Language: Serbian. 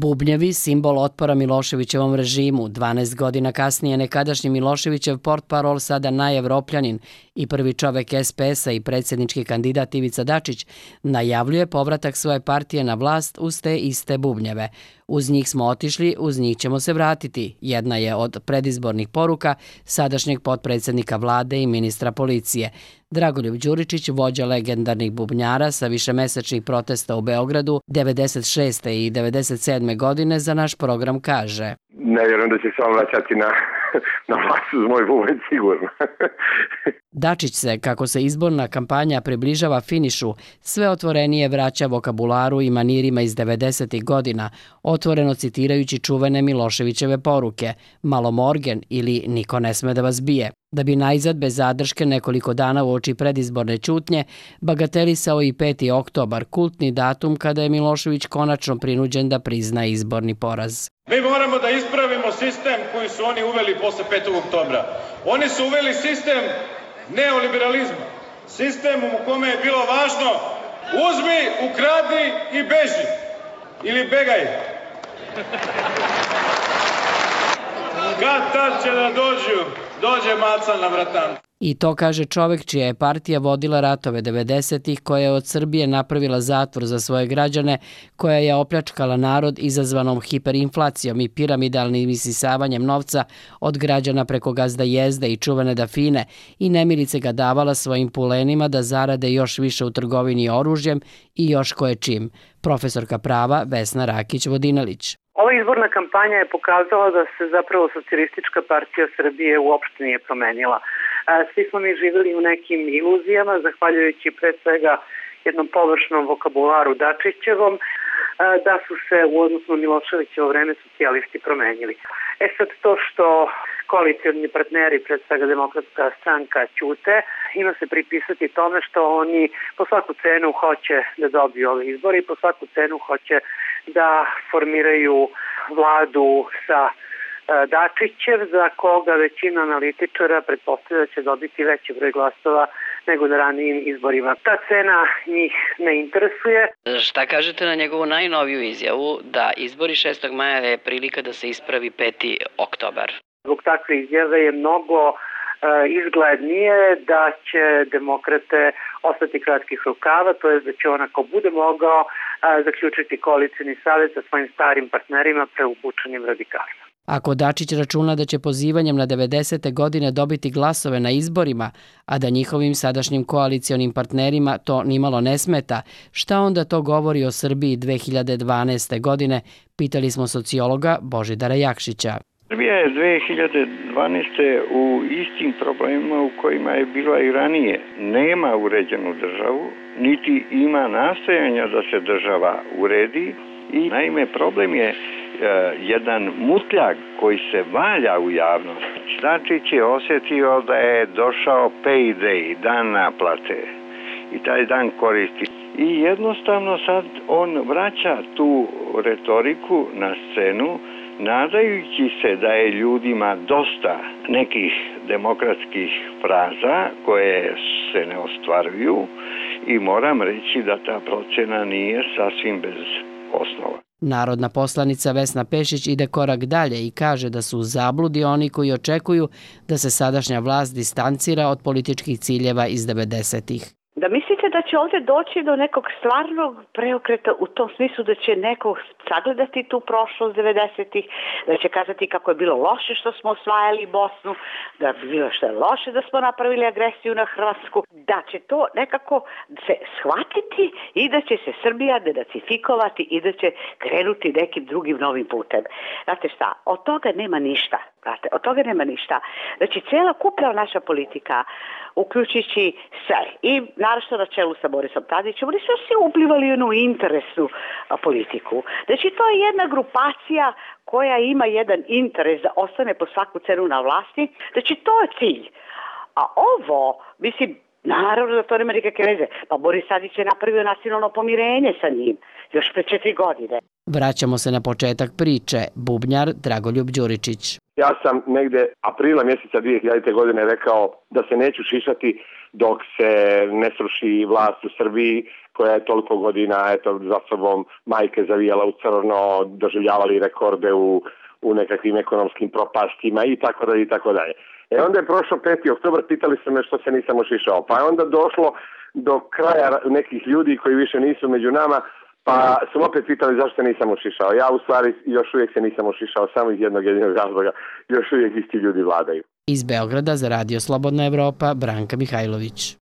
Bubnjevi, simbol otpora Miloševićevom režimu, 12 godina kasnije nekadašnji Miloševićev portparol, sada najevropljanin i prvi čovek SPS-a i predsjednički kandidat Ivica Dačić, najavljuje povratak svoje partije na vlast uz te iste bubnjeve. Uz njih smo otišli, uz njih ćemo se vratiti. Jedna je od predizbornih poruka sadašnjeg potpredsjednika vlade i ministra policije. Dragoljub Đuričić, vođa legendarnih bubnjara sa višemesečnih protesta u Beogradu 96. i 97. godine, za naš program kaže: Ne vjerujem da će se on vraćati na vlast uz moj bubanj, sigurno. Dačić se, kako se izborna kampanja približava finišu, sve otvorenije vraća vokabularu i manirima iz 90. godina, otvoreno citirajući čuvene Miloševićeve poruke "Malo morgen" ili "Niko ne sme da vas bije", da bi najzad bez zadrške nekoliko dana uoči predizborne ćutnje bagatelisao i 5. oktobar, kultni datum kada je Milošević konačno prinuđen da prizna izborni poraz. Mi moramo da ispravimo sistem koji su oni uveli posle 5. oktobra. Oni su uveli sistem neoliberalizma. Sistem u kome je bilo važno uzmi, ukradi i beži. Ili begaj. Kad tad će da dođe maca na vratan. I to kaže čovek čija je partija vodila ratove 90-ih, koja je od Srbije napravila zatvor za svoje građane, koja je opljačkala narod izazvanom hiperinflacijom i piramidalnim isisavanjem novca od građana preko gazda Jezde i čuvene Dafine i nemilice ga davala svojim pulenima da zarade još više u trgovini oružjem i još koje čim. Profesorka prava Vesna Rakić-Vodinelić. Ova izborna kampanja je pokazala da se zapravo Socijalistička partija Srbije uopšte nije promenila. Svi smo mi živjeli u nekim iluzijama, zahvaljujući pre svega jednom površnom vokabularu Dačićevom, da su se u odnosu na Miloševićevo vreme socijalisti promenili. Sad to što koalicioni partneri, pred svega Demokratska stranka, ćute, ima se pripisati tome što oni po svaku cenu hoće da dobiju ove izbore i po svaku cenu hoće da formiraju vladu sa Dačićev, za koga većina analitičara pretpostavlja da će dobiti veći broj glasova nego na ranijim izborima. Ta cena njih ne interesuje. Šta kažete na njegovu najnoviju izjavu da izbori 6. maja je prilika da se ispravi 5. oktobar? Zbog takve izjave je mnogo izglednije da će demokrate ostati kratkih rukava, to je da će on, ako bude mogao, zaključiti koalicijni savez sa svojim starim partnerima preupučenim radikalima. Ako Dačić računa da će pozivanjem na 90. godine dobiti glasove na izborima, a da njihovim sadašnjim koalicionim partnerima to nimalo ne smeta, šta onda to govori o Srbiji 2012. godine, pitali smo sociologa Božidara Jakšića. Srbija je 2012. u istim problemima u kojima je bila i ranije. Nema uređenu državu, niti ima nastojanja da se država uredi i naime problem je jedan mutljak koji se valja u javnosti. Dačić je osjetio da je došao payday, dan naplate, i taj dan koristi. I jednostavno sad on vraća tu retoriku na scenu, nadajući se da je ljudima dosta nekih demokratskih fraza koje se ne ostvaruju i moram reći da ta procena nije sasvim bez osnova. Narodna poslanica Vesna Pešić ide korak dalje i kaže da su u zabludi oni koji očekuju da se sadašnja vlast distancira od političkih ciljeva iz 90-ih. Da mislite da će ovdje doći do nekog stvarnog preokreta u tom smislu da će neko sagledati tu prošlost 90-ih, da će kazati kako je bilo loše što smo osvajali Bosnu, da je bilo što je loše da smo napravili agresiju na Hrvatsku, da će to nekako se shvatiti i da će se Srbija denacifikovati i da će krenuti nekim drugim novim putem. Znate šta, od toga nema ništa. Od toga nema ništa. Znači, cijela kupna naša politika, uključujući sve, i naravno na čelu sa Borisom Tadićem, oni su svi uplivali u jednu interesnu politiku. Znači, to je jedna grupacija koja ima jedan interes da ostane po svaku cenu na vlasti. Znači, to je cilj. A ovo, mislim, naravno da to nema nikakve veze. Pa Boris Tadić je napravio nacionalno pomirenje sa njim još pre 4 godine. Vraćamo se na početak priče, bubnjar Dragoljub Đuričić. Ja sam negde aprila mjeseca 2000. godine rekao da se neću šišati dok se ne sruši vlast u Srbiji koja je toliko godina za sobom majke zavijala u crno, doživljavali rekorde u nekakvim ekonomskim propastima i tako dalje i tako dalje. Onda je prošlo 5. oktobar, pitali su me što se nisam ošišao. Pa je onda došlo do kraja nekih ljudi koji više nisu među nama, pa su opet pitali zašto se nisam ošišao. Ja u stvari još uvijek se nisam ošišao, samo iz jednog jedinog razloga. Još uvijek isti ljudi vladaju. Iz Beograda za Radio Slobodna Evropa, Branka Mihajlović.